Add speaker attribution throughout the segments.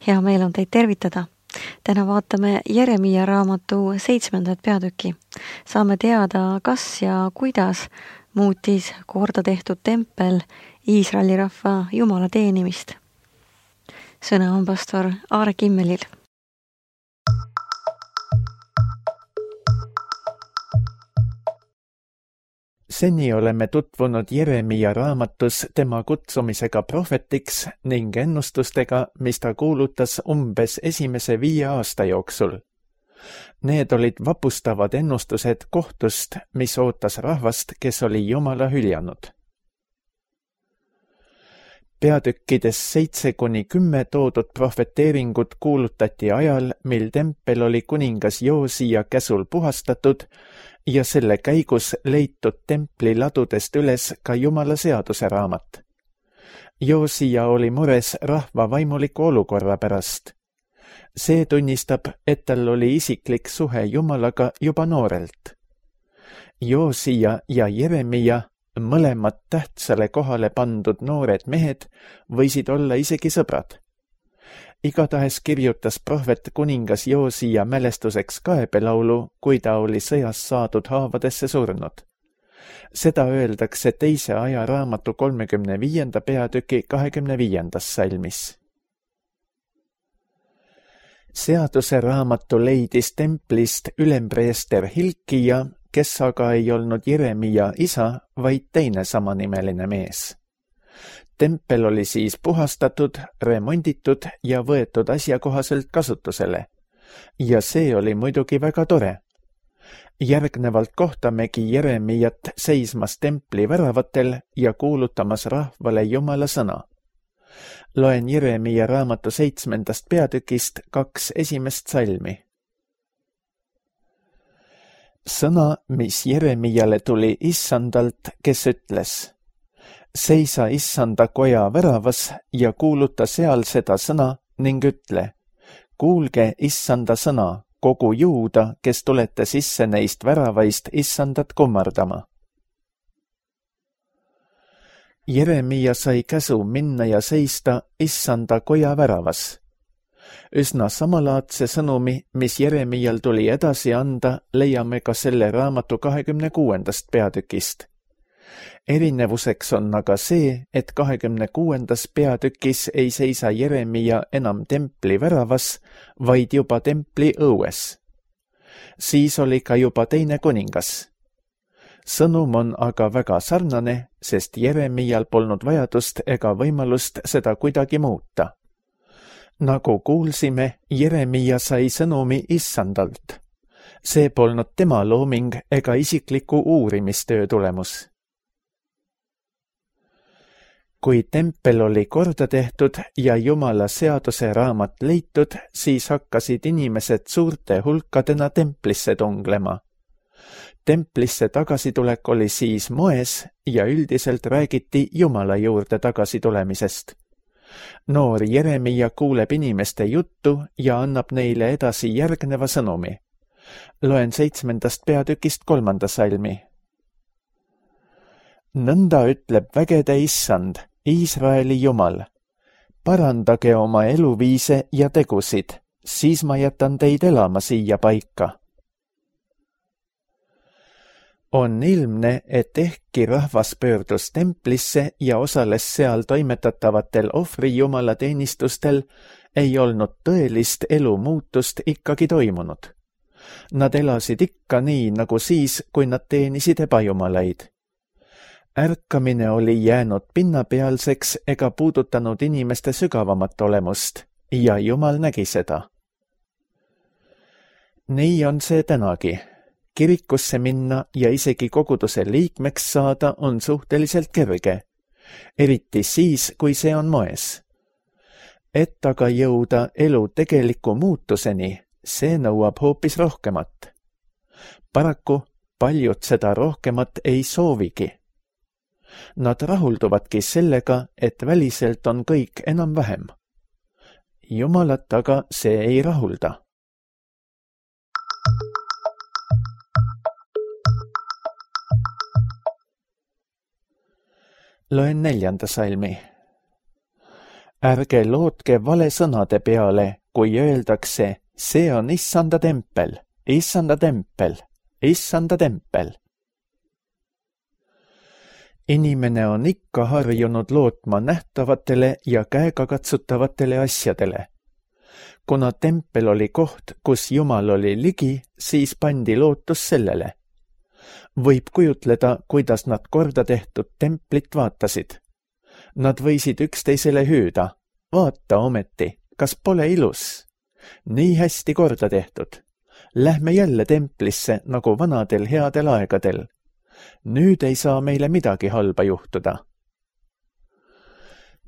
Speaker 1: Hea meel on teid tervitada. Täna vaatame Jeremiia raamatu 7. peatüki. Saame teada, kas ja kuidas muutis korda tehtud tempel Iisraeli rahva Jumala teenimist. Sõna on pastor Aare Kimmelil.
Speaker 2: Seni oleme tutvunud Jeremiia raamatus tema kutsumisega prohvetiks ning ennustustega, mis ta kuulutas umbes esimese 5 aasta jooksul. Need olid vapustavad ennustused kohtust, mis ootas rahvast, kes oli Jumala hüljanud. Peatükkides 7-10 toodud prohveteeringud kuulutati ajal, mil tempel oli kuningas Joosia käsul puhastatud ja selle käigus leitud templi ladudest üles ka Jumala seaduse raamat. Joosia oli mures rahva vaimuliku olukorra pärast. See tunnistab, et tal oli isiklik suhe Jumalaga juba noorelt. Joosia ja Jeremiia, mõlemad tähtsale kohale pandud noored mehed, võisid olla isegi sõbrad. Igatahes kirjutas prohvet kuningas Joosia mälestuseks kaebelaulu, kui ta oli sõjas saadud haavadesse surnud. Seda öeldakse 2. ajaraamatu 35. peatüki 25. salmis. Seaduse raamatu leidis templist ülempreester Hilkija, kes aga ei olnud Jeremiia isa, vaid teine samanimeline mees. Tempel oli siis puhastatud, remonditud ja võetud asjakohaselt kasutusele. Ja see oli muidugi väga tore. Järgnevalt kohtamegi Jeremiiat seismas templi väravatel ja kuulutamas rahvale Jumala sõna. Loen Jeremiia raamatu 7. peatükist 2 esimest salmi. Sõna, mis Jeremiiale tuli Issandalt, kes ütles: seisa Issanda koja väravas ja kuuluta seal seda sõna ning ütle: kuulge Issanda sõna, kogu Juuda, kes tulete sisse neist väravaist Issandat kummardama. Jeremiia sai käsu minna ja seista Issanda koja väravas. Üsna samalaadse sõnumi, mis Jeremiial tuli edasi anda, leiame ka selle raamatu 26. peatükist. Erinevuseks on aga see, et 26. peatükis ei seisa Jeremiia enam templi väravas, vaid juba templi õues. Siis oli ka juba teine kuningas. Sõnum on aga väga sarnane, sest Jeremiial polnud vajadust ega võimalust seda kuidagi muuta. Nagu kuulsime, Jeremiia sai sõnumi Issandalt. See polnud tema looming ega isikliku uurimistöö tulemus. Kui tempel oli korda tehtud ja Jumala seaduse raamat leitud, siis hakkasid inimesed suurte hulkadena templisse tunglema. Templisse tagasitulek oli siis moes ja üldiselt räägiti Jumala juurde tagasitulemisest. Noor Jeremiia kuuleb inimeste juttu ja annab neile edasi järgneva sõnumi. Loen 7. peatükist 3. salmi. Nõnda ütleb vägede Issand, Iisraeli Jumal: parandage oma eluviise ja tegusid, siis ma jätan teid elama siia paika. On ilmne, et ehkki rahvas pöördus templisse ja osales seal toimetatavatel ohvrijumala teenistustel, ei olnud tõelist elumuutust ikkagi toimunud. Nad elasid ikka nii, nagu siis, kui nad teenisid ebajumalaid. Ärkamine oli jäänud pinnapealseks ega puudutanud inimeste sügavamat olemust ja Jumal nägi seda. Nii on see tänagi. Kirikusse minna ja isegi koguduse liikmeks saada on suhteliselt kerge, eriti siis, kui see on moes. Et aga jõuda elu tegeliku muutuseni, see nõuab hoopis rohkemat. Paraku paljud seda rohkemat ei soovigi. Nad rahulduvadki sellega, et väliselt on kõik enam-vähem. Jumalat aga see ei rahulda. Loen 4. salmi. Ärge lootke vale sõnade peale, kui öeldakse, see on issanda tempel, issanda tempel, issanda tempel. Inimene on ikka harjunud lootma nähtavatele ja käegakatsutavatele asjadele. Kuna tempel oli koht, kus Jumal oli ligi, siis pandi lootus sellele. Võib kujutleda, kuidas nad korda tehtud templit vaatasid. Nad võisid üksteisele hüüda, vaata ometi, kas pole ilus? Nii hästi korda tehtud. Lähme jälle templisse nagu vanadel headel aegadel. Nüüd ei saa meile midagi halba juhtuda.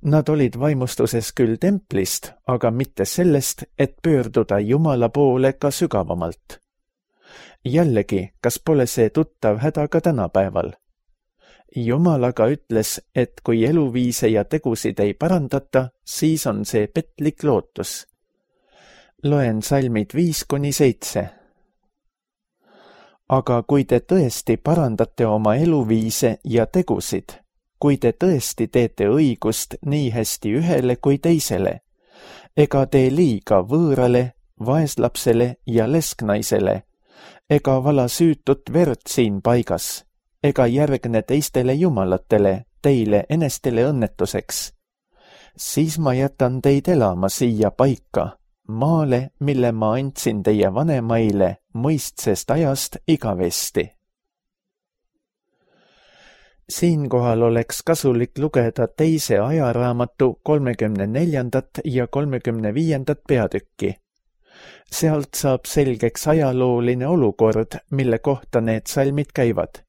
Speaker 2: Nad olid vaimustuses küll templist, aga mitte sellest, et pöörduda Jumala poole ka sügavamalt. Jällegi, kas pole see tuttav häda ka tänapäeval? Jumal aga ütles, et kui eluviise ja tegusid ei parandata, siis on see petlik lootus. Loen salmid 5-7. Aga kui te tõesti parandate oma eluviise ja tegusid, kui te tõesti teete õigust nii hästi ühele kui teisele, ega tee liiga võõrale, vaeslapsele ja lesknaisele, ega vala süütut verd siin paigas, ega järgne teistele jumalatele, teile enestele õnnetuseks, siis ma jätan teid elama siia paika, maale, mille ma andsin teie vanemaile mõistsest ajast igavesti. Siinkohal oleks kasulik lugeda teise ajaraamatu 34. ja 35. peatükki. Sealt saab selgeks ajalooline olukord, mille kohta need salmid käivad.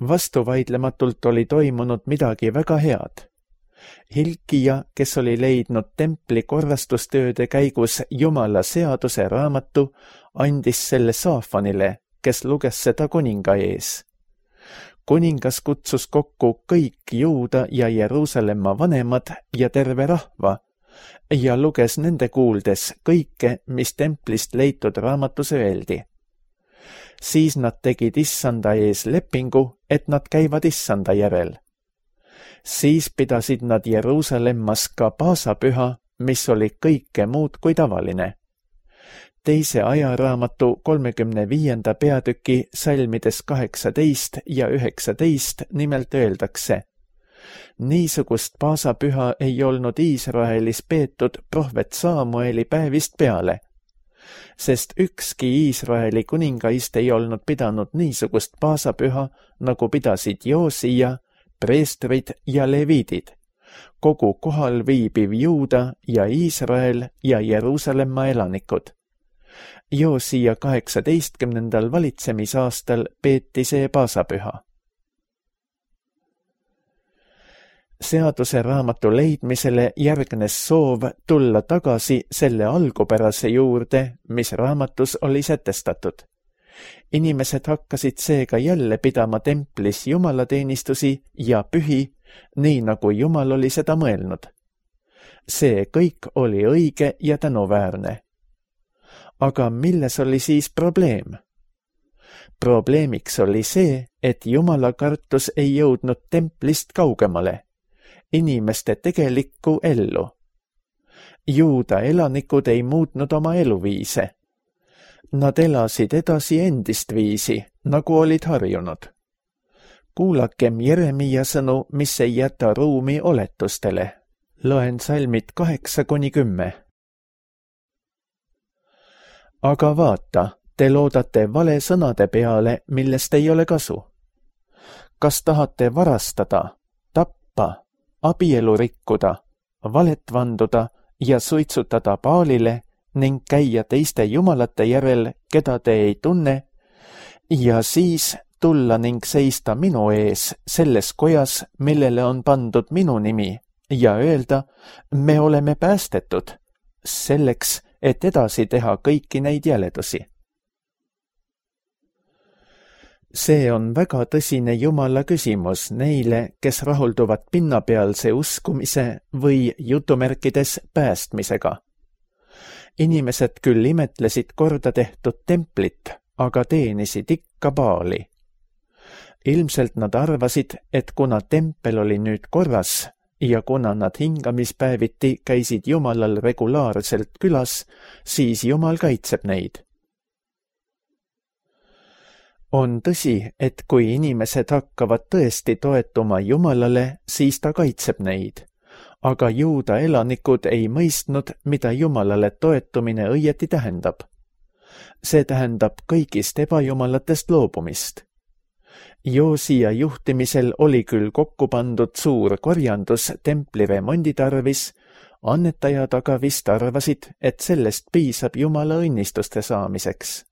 Speaker 2: Vastuvaidlematult oli toimunud midagi väga head. Hilkija, kes oli leidnud templi korrastustööde käigus Jumala seaduse raamatu, andis selle Saafanile, kes luges seda kuninga ees. Kuningas kutsus kokku kõik Juuda ja Jeruusalemma vanemad ja terve rahva ja luges nende kuuldes kõike, mis templist leitud raamatus öeldi. Siis nad tegid issanda ees lepingu, et nad käivad issanda järel. Siis pidasid nad Jeruusalemmas ka paasapüha, mis oli kõike muud kui tavaline. Teise ajaraamatu 35. peatüki salmides 18 ja 19 nimelt öeldakse: niisugust paasapüha ei olnud Iisraelis peetud prohvet Saamueli päevist peale, sest ükski Iisraeli kuningaist ei olnud pidanud niisugust paasapüha, nagu pidasid Joosija, preestrid ja leviidid, kogu kohal viibiv Juuda ja Iisrael ja Jeruusalemma elanikud. Joosija 18. valitsemisaastal peeti see paasapüha. Seaduse raamatu leidmisele järgnes soov tulla tagasi selle algupärase juurde, mis raamatus oli sätestatud. Inimesed hakkasid seega jälle pidama templis jumalateenistusi ja pühi, nii nagu Jumal oli seda mõelnud. See kõik oli õige ja tänuväärne. Aga milles oli siis probleem? Probleemiks oli see, et Jumala kartus ei jõudnud templist kaugemale, inimeste tegelikku ellu. Juuda elanikud ei muutnud oma eluviise. Nad elasid edasi endist viisi, nagu olid harjunud. Kuulakem Jeremia sõnu, mis ei jäta ruumi oletustele. Loen salmid 8-10. Aga vaata, te loodate vale sõnade peale, millest ei ole kasu. Kas tahate varastada, tappa, abielu rikkuda, valet vanduda ja suitsutada Baalile ning käia teiste jumalate järel, keda te ei tunne, ja siis tulla ning seista minu ees selles kojas, millele on pandud minu nimi, ja öelda, me oleme päästetud, selleks, et edasi teha kõiki neid jäledusi. See on väga tõsine Jumala küsimus neile, kes rahulduvad pinnapealse uskumise või jutumärkides päästmisega. Inimesed küll imetlesid korda tehtud templit, aga teenisid ikka Baali. Ilmselt nad arvasid, et kuna tempel oli nüüd korras ja kuna nad hingamispäeviti käisid Jumalal regulaarselt külas, siis Jumal kaitseb neid. On tõsi, et kui inimesed hakkavad tõesti toetuma Jumalale, siis ta kaitseb neid. Aga Juuda elanikud ei mõistnud, mida Jumalale toetumine õieti tähendab. See tähendab kõigist ebajumalatest loobumist. Joosia juhtimisel oli küll kokku pandud suur korjandus templi remondi tarvis, annetajad aga vist arvasid, et sellest piisab Jumala õnnistuste saamiseks.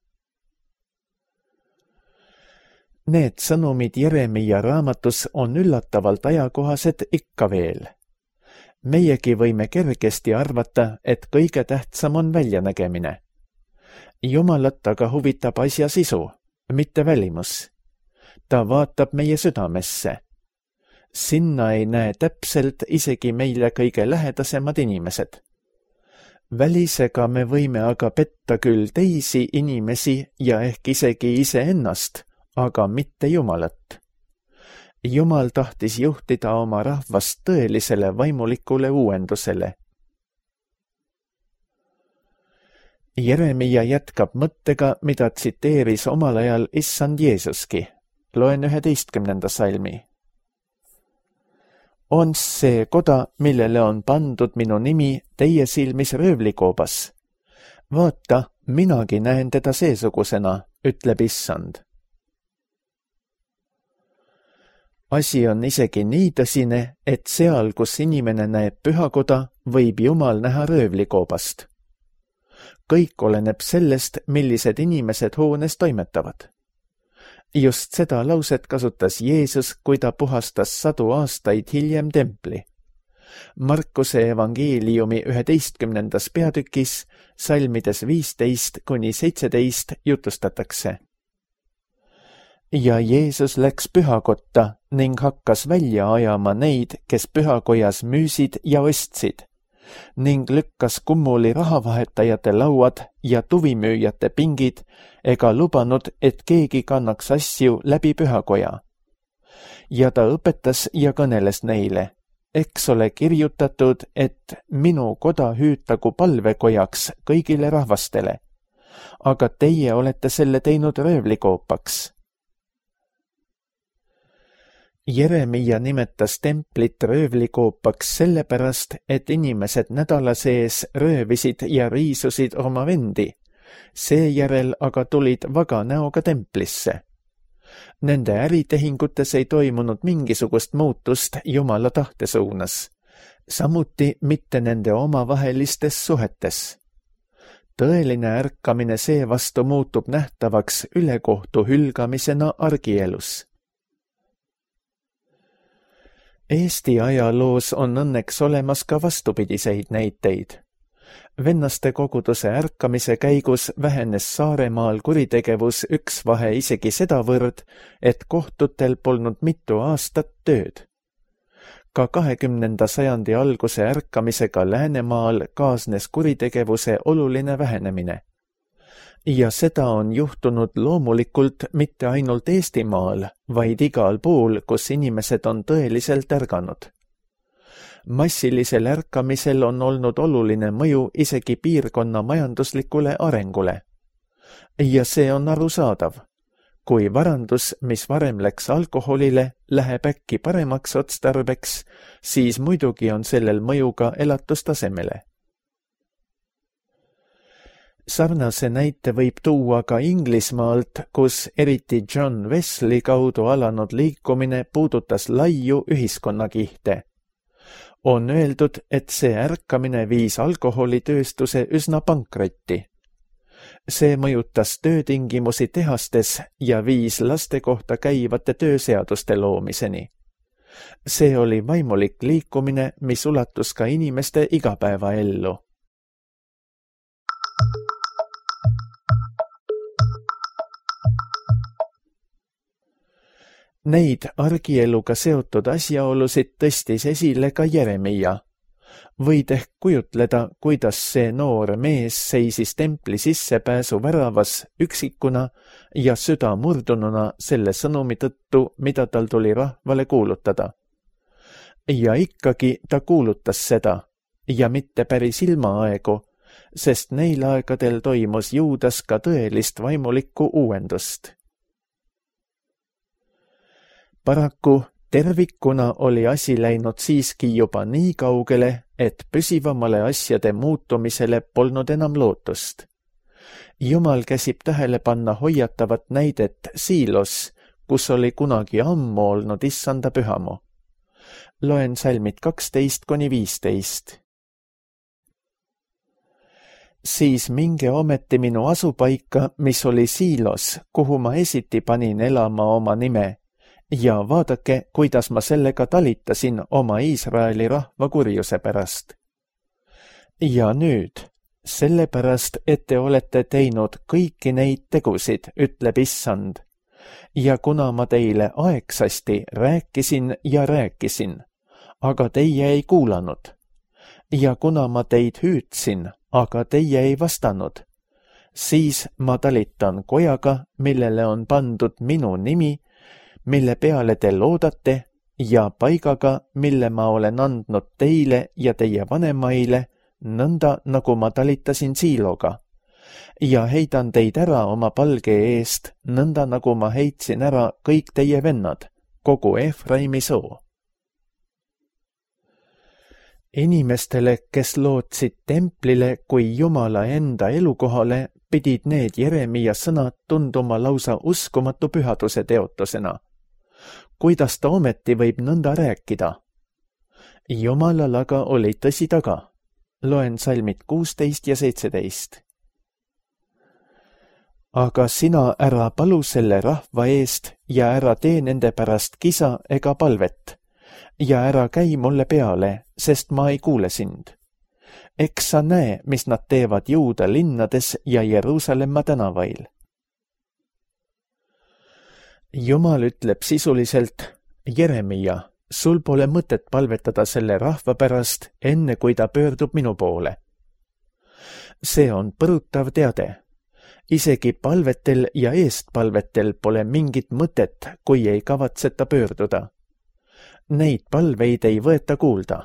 Speaker 2: Need sõnumid Jeremia raamatus on üllatavalt ajakohased ikka veel. Meiegi võime kergesti arvata, et kõige tähtsam on väljanägemine. Jumalat aga huvitab asja sisu, mitte välimus. Ta vaatab meie südamesse. Sinna ei näe täpselt isegi meile kõige lähedasemad inimesed. Välisega me võime aga petta küll teisi inimesi ja ehk isegi iseennast, aga mitte Jumalat. Jumal tahtis juhtida oma rahvast tõelisele vaimulikule uuendusele. Jeremia jätkab mõttega, mida tsiteeris omal ajal issand Jeesuski. Loen 11. salmi. On see koda, millele on pandud minu nimi teie silmis röövlikoobas? Vaata, minagi näen teda seesugusena, ütleb issand. Asi on isegi nii tõsine, et seal, kus inimene näeb pühakoda, võib Jumal näha röövlikoobast. Kõik oleneb sellest, millised inimesed hoones toimetavad. Just seda lauset kasutas Jeesus, kui ta puhastas 100 aastaid hiljem templi. Markuse evangeeliumi 11. peatükis, salmides 15–17 jutustatakse. Ja Jeesus läks pühakotta ning hakkas välja ajama neid, kes pühakojas müüsid ja ostsid, ning lükkas kummuli rahavahetajate lauad ja tuvimüüjate pingid ega lubanud, et keegi kannaks asju läbi pühakoja. Ja ta õpetas ja kõneles neile, eks ole kirjutatud, et minu koda hüütagu palvekojaks kõigile rahvastele, aga teie olete selle teinud röövlikoopaks. Jeremia nimetas templit röövlikoopaks sellepärast, et inimesed nädala sees röövisid ja riisusid oma vendi, seejärel aga tulid vaga näoga templisse. Nende äritehingutes ei toimunud mingisugust muutust Jumala tahte suunas, samuti mitte nende omavahelistes suhetes. Tõeline ärkamine seevastu muutub nähtavaks ülekohtu hülgamisena argielus. Eesti ajaloos on õnneks olemas ka vastupidiseid näiteid. Vennaste koguduse ärkamise käigus vähenes Saaremaal kuritegevus üksvahe isegi sedavõrd, et kohtutel polnud mitu aastat tööd. Ka 20. sajandi alguse ärkamisega Läänemaal kaasnes kuritegevuse oluline vähenemine. Ja seda on juhtunud loomulikult mitte ainult Eestimaal, vaid igal pool, kus inimesed on tõeliselt ärganud. Massilisel ärkamisel on olnud oluline mõju isegi piirkonna majanduslikule arengule. Ja see on arusaadav. Kui varandus, mis varem läks alkoholile, läheb äkki paremaks otstarbeks, siis muidugi on sellel mõju ka elatustasemele. Sarnase näite võib tuua ka Inglismaalt, kus eriti John Wesley kaudu alanud liikumine puudutas laiu ühiskonnakihte. On öeldud, et see ärkamine viis alkoholitööstuse üsna pankrotti. See mõjutas töötingimusi tehastes ja viis laste kohta käivate tööseaduste loomiseni. See oli vaimulik liikumine, mis ulatus ka inimeste igapäevaellu. Neid argieluga seotud asjaolusid tõstis esile ka Jeremia. Võid ehk kujutleda, kuidas see noor mees seisis templi sissepääsu väravas üksikuna ja süda murdununa selle sõnumi tõttu, mida tal tuli rahvale kuulutada. ja ikkagi ta kuulutas seda ja mitte päris ilmaaegu, sest neil aegadel toimus Juudas ka tõelist vaimulikku uuendust. Paraku tervikuna oli asi läinud siiski juba nii kaugele, et püsivamale asjade muutumisele polnud enam lootust. Jumal käsib tähele panna hoiatavat näidet Siilos, kus oli kunagi ammu olnud issanda pühamu. Loen salmid 12–15. Siis minge ometi minu asupaika, mis oli Siilos, kuhu ma esiti panin elama oma nime, ja vaadake, kuidas ma sellega talitasin oma Iisraeli rahva kurjuse pärast. Ja nüüd, sellepärast, et te olete teinud kõiki neid tegusid, ütleb issand, ja kuna ma teile aegsasti rääkisin ja rääkisin, aga teie ei kuulanud, ja kuna ma teid hüüdsin, aga teie ei vastanud, siis ma talitan kojaga, millele on pandud minu nimi, mille peale te loodate, ja paigaga, mille ma olen andnud teile ja teie vanemaile, nõnda nagu ma talitasin Siiloga, ja heidan teid ära oma palge eest, nõnda nagu ma heitsin ära kõik teie vennad, kogu Efraimi soo. Inimestele, kes lootsid templile kui Jumala enda elukohale, pidid need Jeremia sõnad tunduma lausa uskumatu pühaduse teotusena. Kuidas ta ometi võib nõnda rääkida? Jumalal aga oli tõsi taga. Loen salmid 16 ja 17. Aga sina ära palu selle rahva eest ja ära tee nende pärast kisa ega palvet ja ära käi mulle peale, sest ma ei kuule sind. Eks sa näe, mis nad teevad Juuda linnades ja Jeruusalemma tänavail. Jumal ütleb sisuliselt, Jeremia, sul pole mõtet palvetada selle rahva pärast, enne kui ta pöördub minu poole. See on põrutav teade. Isegi palvetel ja eestpalvetel pole mingit mõtet, kui ei kavatseta pöörduda. Neid palveid ei võeta kuulda.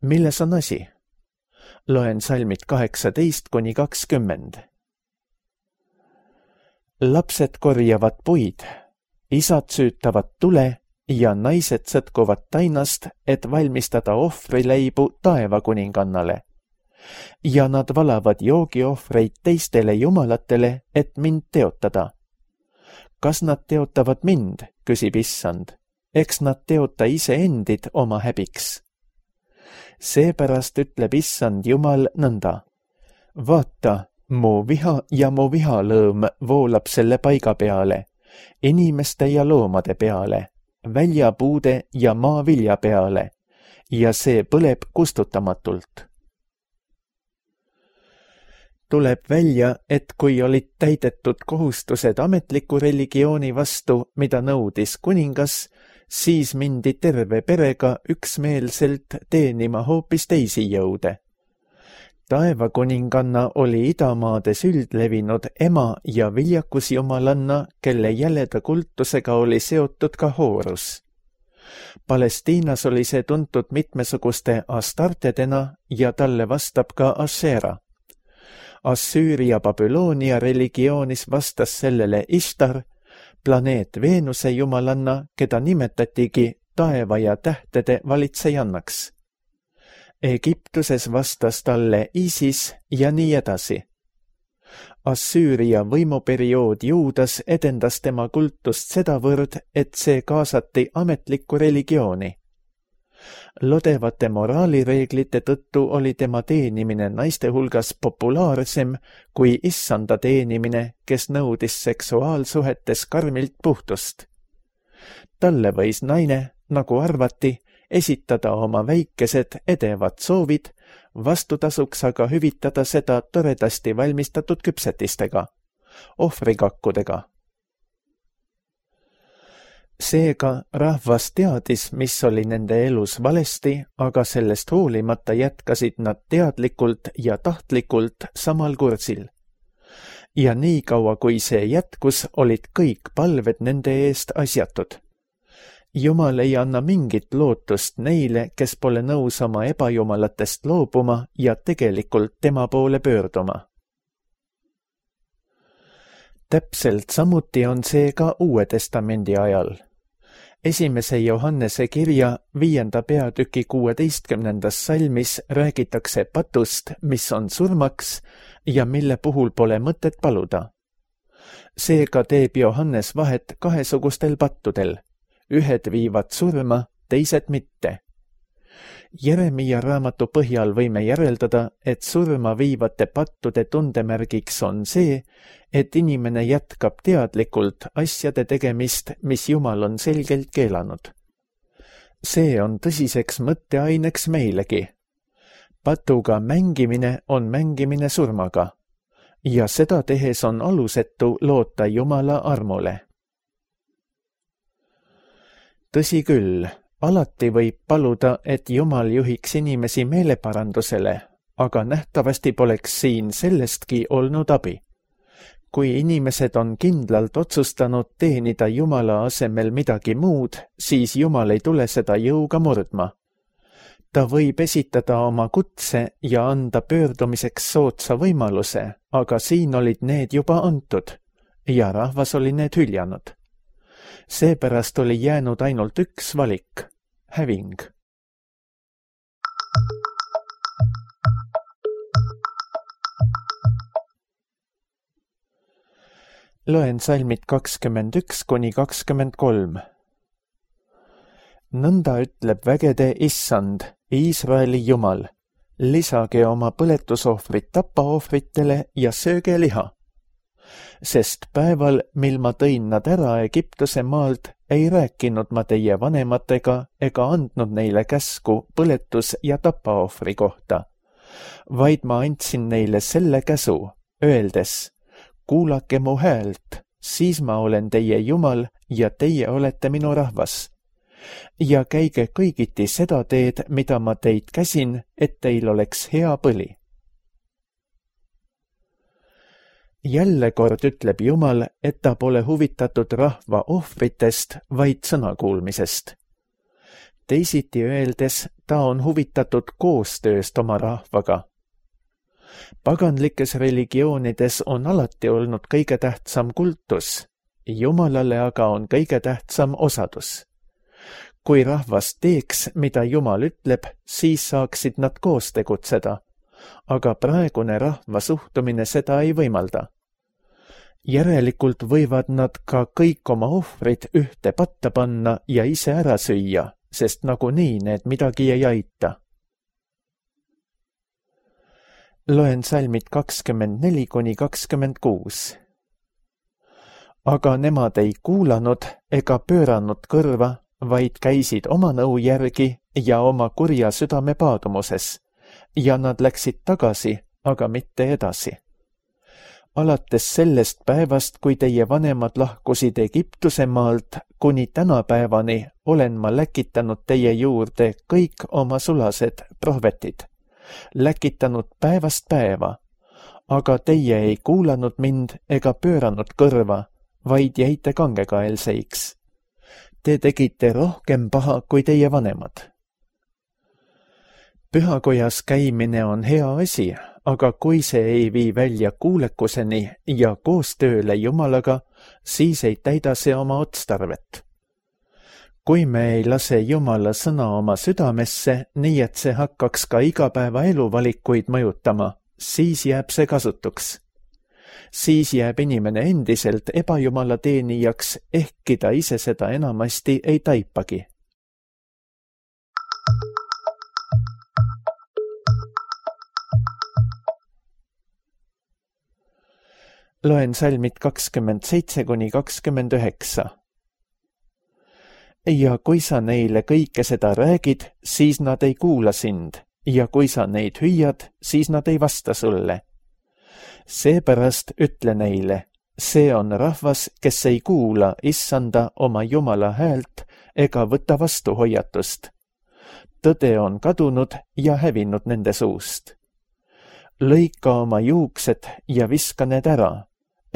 Speaker 2: Milles on asi? Loen salmid 18–20. Lapsed korjavad puid, isad süütavad tule ja naised sõtkuvad tainast, et valmistada ohvrileibu taevakuningannale. Ja nad valavad joogiohvreid teistele jumalatele, et mind teotada. Kas nad teotavad mind, küsib issand, eks nad teota iseendid oma häbiks. Seepärast ütleb issand Jumal nõnda. Vaata, mu viha ja mu vihalõõm voolab selle paiga peale, inimeste ja loomade peale, väljapuude ja maavilja peale, ja see põleb kustutamatult. Tuleb välja, et kui olid täidetud kohustused ametliku religiooni vastu, mida nõudis kuningas, siis mindi terve perega üksmeelselt teenima hoopis teisi jõude. Taevakuninganna oli idamaades üldlevinud ema ja viljakusjumalanna, kelle jäleda kultusega oli seotud ka Horus. Palestiinas oli see tuntud mitmesuguste astartedena ja talle vastab ka Asera. Assüüria Babyloonia religioonis vastas sellele Ishtar, planeet Veenuse jumalanna, keda nimetatigi taeva ja tähtede valitsejannaks. Egiptuses vastas talle Isis ja nii edasi. Assüüria võimuperiood Juudas edendas tema kultust sedavõrd, et see kaasati ametlikku religiooni. Lodevate moraalireeglite tõttu oli tema teenimine naiste hulgas populaarsem kui issanda teenimine, kes nõudis seksuaalsuhetes karmilt puhtust. Talle võis naine, nagu arvati, esitada oma väikesed edevad soovid, vastutasuks aga hüvitada seda toredasti valmistatud küpsetistega, ohvrikakkudega. Seega rahvas teadis, mis oli nende elus valesti, aga sellest hoolimata jätkasid nad teadlikult ja tahtlikult samal kursil. Ja nii kaua, kui see jätkus, olid kõik palved nende eest asjatud. Jumal ei anna mingit lootust neile, kes pole nõus oma ebajumalatest loobuma ja tegelikult tema poole pöörduma. Täpselt samuti on see ka Uue Testamendi ajal. 1. Johannese kirja 5. peatüki 16. salmis räägitakse patust, mis on surmaks ja mille puhul pole mõtet paluda. Seega teeb Johannes vahet kahesugustel pattudel. Ühed viivad surma, teised mitte. Jeremia raamatu põhjal võime järeldada, et surma viivate pattude tundemärgiks on see, et inimene jätkab teadlikult asjade tegemist, mis Jumal on selgelt keelanud. See on tõsiseks mõtteaineks meilegi. Patuga mängimine on mängimine surmaga ja seda tehes on alusetu loota Jumala armule. Tõsi küll, alati võib paluda, et Jumal juhiks inimesi meeleparandusele, aga nähtavasti poleks siin sellestki olnud abi. Kui inimesed on kindlalt otsustanud teenida Jumala asemel midagi muud, siis Jumal ei tule seda jõuga murdma. Ta võib esitada oma kutse ja anda pöördumiseks soodsa võimaluse, aga siin olid need juba antud ja rahvas oli need hüljanud. Seepärast oli jäänud ainult üks valik, häving. Loen salmid 21–23. Nõnda ütleb vägede Issand, Iisraeli Jumal, lisage oma põletusohvrid tapaohvritele ja sööge liha. Sest päeval, mil ma tõin nad ära Egiptuse maalt, ei rääkinud ma teie vanematega ega andnud neile käsku põletus- ja tapaohvri kohta, vaid ma andsin neile selle käsu, öeldes, kuulake mu häält, siis ma olen teie Jumal ja teie olete minu rahvas. Ja käige kõigiti seda teed, mida ma teid käsin, et teil oleks hea põli. Jälle kord ütleb Jumal, et ta pole huvitatud rahva ohvritest, vaid sõnakuulmisest. Teisiti öeldes, ta on huvitatud koostööst oma rahvaga. Paganlikes religioonides on alati olnud kõige tähtsam kultus, Jumalale aga on kõige tähtsam osadus. Kui rahvas teeks, mida Jumal ütleb, siis saaksid nad koos tegutseda, aga praegune rahva suhtumine seda ei võimalda. Järelikult võivad nad ka kõik oma ohvrid ühte patta panna ja ise ära süüa, sest nagunii need midagi ei aita. Loen salmid 24–26. Aga nemad ei kuulanud ega pööranud kõrva, vaid käisid oma nõu järgi ja oma kurja südame paadumuses, ja nad läksid tagasi, aga mitte edasi. Alates sellest päevast, kui teie vanemad lahkusid Egiptuse maalt, kuni tänapäevani olen ma läkitanud teie juurde kõik oma sulased prohvetid, läkitanud päevast päeva, aga teie ei kuulanud mind ega pööranud kõrva, vaid jäite kangekaelseiks. Te tegite rohkem paha kui teie vanemad. Pühakojas käimine on hea asi, aga kui see ei vii välja kuulekuseni ja koostööle Jumalaga, siis ei täida see oma otstarvet. Kui me ei lase Jumala sõna oma südamesse, nii et see hakkaks ka igapäevaelu valikuid mõjutama, siis jääb see kasutuks. Siis jääb inimene endiselt ebajumala teenijaks, ehkki ta ise seda enamasti ei taipagi. Loen salmid 27–29. Ja kui sa neile kõike seda räägid, siis nad ei kuula sind, ja kui sa neid hüüad, siis nad ei vasta sulle. Seepärast ütle neile, see on rahvas, kes ei kuula Issanda oma Jumala häält ega võta vastu hoiatust. Tõde on kadunud ja hävinud nende suust. Lõika oma juuksed ja viska need ära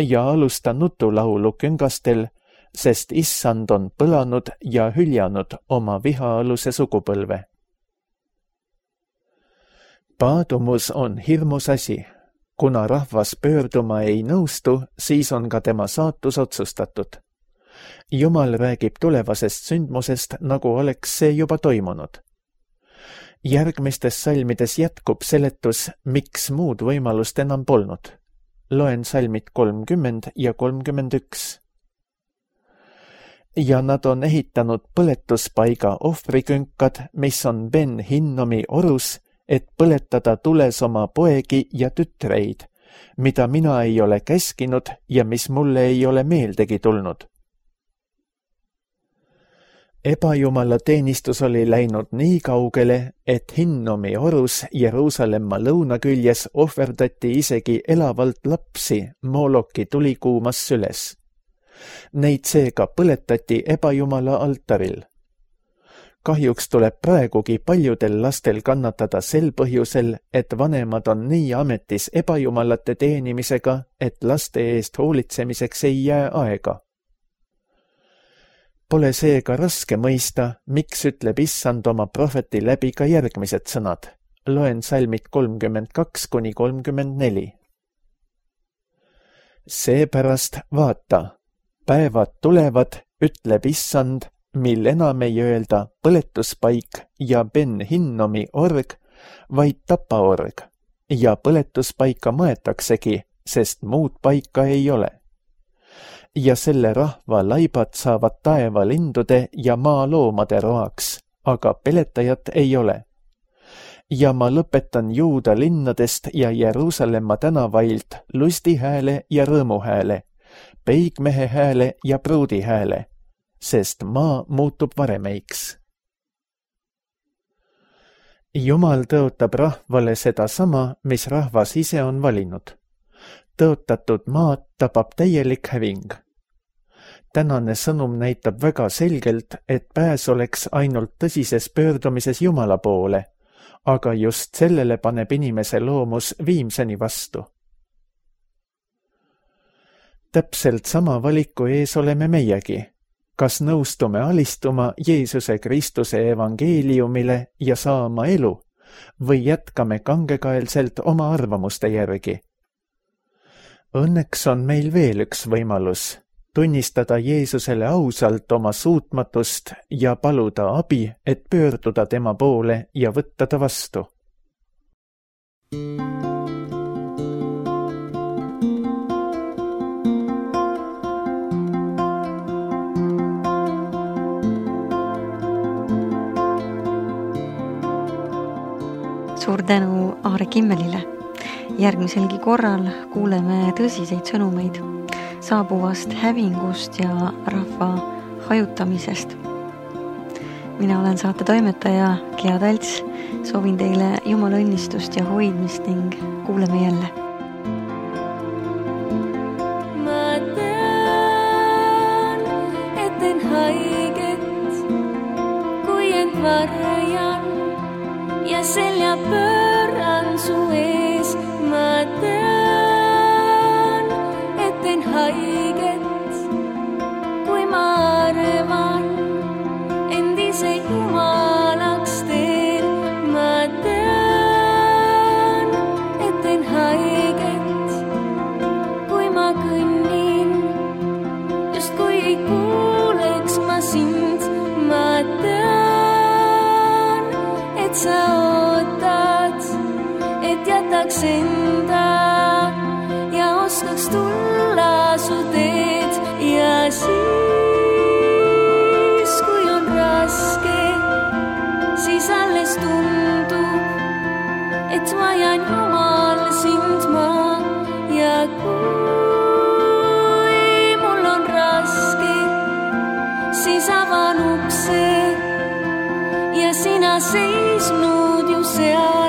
Speaker 2: ja alusta nutulaulu küngastel, sest issand on põlanud ja hüljanud oma vihaaluse sugupõlve. Paadumus on hirmus asi. Kuna rahvas pöörduma ei nõustu, siis on ka tema saatus otsustatud. Jumal räägib tulevasest sündmusest, nagu oleks see juba toimunud. Järgmistes salmides jätkub seletus, miks muud võimalust enam polnud. Loen salmid 30 ja 31. Ja nad on ehitanud põletuspaiga ohvrikünkad, mis on Ben Hinnomi orus, et põletada tules oma poegi ja tütreid, mida mina ei ole käskinud ja mis mulle ei ole meeldegi tulnud. Ebajumala teenistus oli läinud nii kaugele, et Hinnomi orus Jeruusalemma lõunaküljes ohverdati isegi elavalt lapsi Mooloki tulikuumas süles. Neid seega põletati ebajumala altaril. Kahjuks tuleb praegugi paljudel lastel kannatada sel põhjusel, et vanemad on nii ametis ebajumalate teenimisega, et laste eest hoolitsemiseks ei jää aega. Pole seega raske mõista, miks ütleb issand oma prohveti läbi ka järgmised sõnad. Loen salmid 32-34. Seepärast vaata, päevad tulevad, ütleb issand, mil enam ei öelda põletuspaik ja Ben Hinnomi org, vaid tapaorg, ja põletuspaika maetaksegi, sest muud paika ei ole. Ja selle rahva laibad saavad taevalindude ja maaloomade roaks, aga peletajat ei ole. Ja ma lõpetan Juuda linnadest ja Jeruusalemma tänavailt lustihääle ja rõõmuhääle, peigmehe hääle ja pruudi hääle, sest maa muutub varemeiks. Jumal tõotab rahvale sedasama, mis rahvas ise on valinud. Tõotatud maad tabab täielik häving. Tänane sõnum näitab väga selgelt, et pääs oleks ainult tõsises pöördumises Jumala poole, aga just sellele paneb inimese loomus viimseni vastu. Täpselt sama valiku ees oleme meiegi. Kas nõustume alistuma Jeesuse Kristuse evangeeliumile ja saama elu või jätkame kangekaelselt oma arvamuste järgi? Õnneks on meil veel üks võimalus, tunnistada Jeesusele ausalt oma suutmatust ja paluda abi, et pöörduda tema poole ja võtta ta vastu.
Speaker 1: Suur tänu Aare Kimmelile. Järgmiselgi korral kuuleme tõsiseid sõnumeid saabuvast hävingust ja rahva hajutamisest. Mina olen saate toimetaja Gea Talts. Soovin teile Jumala õnnistust ja hoidmist ning kuuleme jälle.
Speaker 3: Ma tean, et teen haiget, kui end varjan ja selja pööran su ees. Ma tean, et teen haiget, kui ma arvan, end ise jumalaks teen. Ma tean, et teen haiget, kui ma kõnnin, justkui ei kuuleks ma sind. Ma tean, et sa ootad, et jätaks enda ja oskaks tulla su teed. Ja siis, kui on raske, siis alles tundub, et vajan Jumal sind ma. Ja kui mul on raske, siis avan ukse ja sina seisnud ju seal.